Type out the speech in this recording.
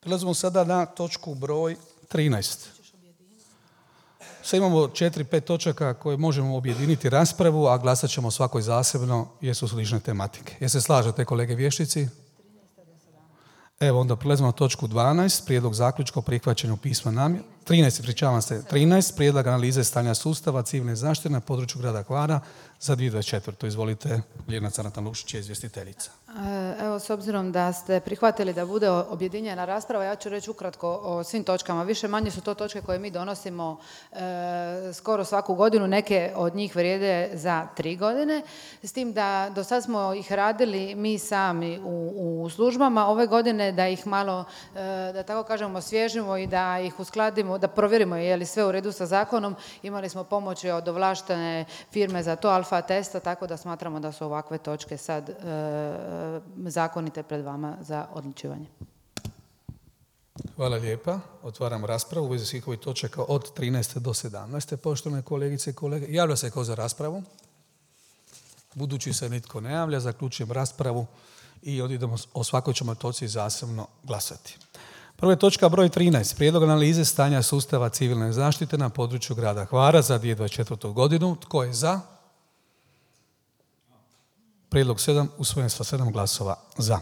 Prelazimo sada na točku broj 13. Sad imamo 4-5 točaka koje možemo objediniti raspravu, a glasat ćemo svakoj zasebno jer su slične tematike. Jel se slažete, kolege vještici? Evo, onda prelazimo na točku 12, prijedlog zaključka o prihvaćanju pisma namjere. 13, prijedlog analize stanja sustava civilne zaštite na području grada Hvara za 2024. Izvolite, Ljiljana Carnatan-Lušić je izvjestiteljica. Evo, s obzirom da ste prihvatili da bude objedinjena rasprava, ja ću reći ukratko o svim točkama. Više manje su to točke koje mi donosimo skoro svaku godinu, neke od njih vrijede za 3 godine. S tim da do sad smo ih radili mi sami u službama. Ove godine da ih malo, da tako kažemo, osvježimo i da ih uskladimo, da provjerimo je li sve u redu sa zakonom. Imali smo pomoći od ovlaštene firme za to, Alfa Testa, tako da smatramo da su ovakve točke sad zakonite pred vama za odlučivanje. Hvala lijepa. Otvaram raspravu u vezi svih ovih točaka od 13. do 17. Poštovane kolegice i kolege, javlja se ko za raspravu? Budući se nitko ne javlja, zaključujem raspravu i odidemo o svakoj ćemo točci zasebno glasati. Prva je točka broj 13. Prijedlog analize stanja sustava civilne zaštite na području grada Hvara za 2024. godinu. Tko je za? Prijedlog 7 usvojen sa 7 glasova za.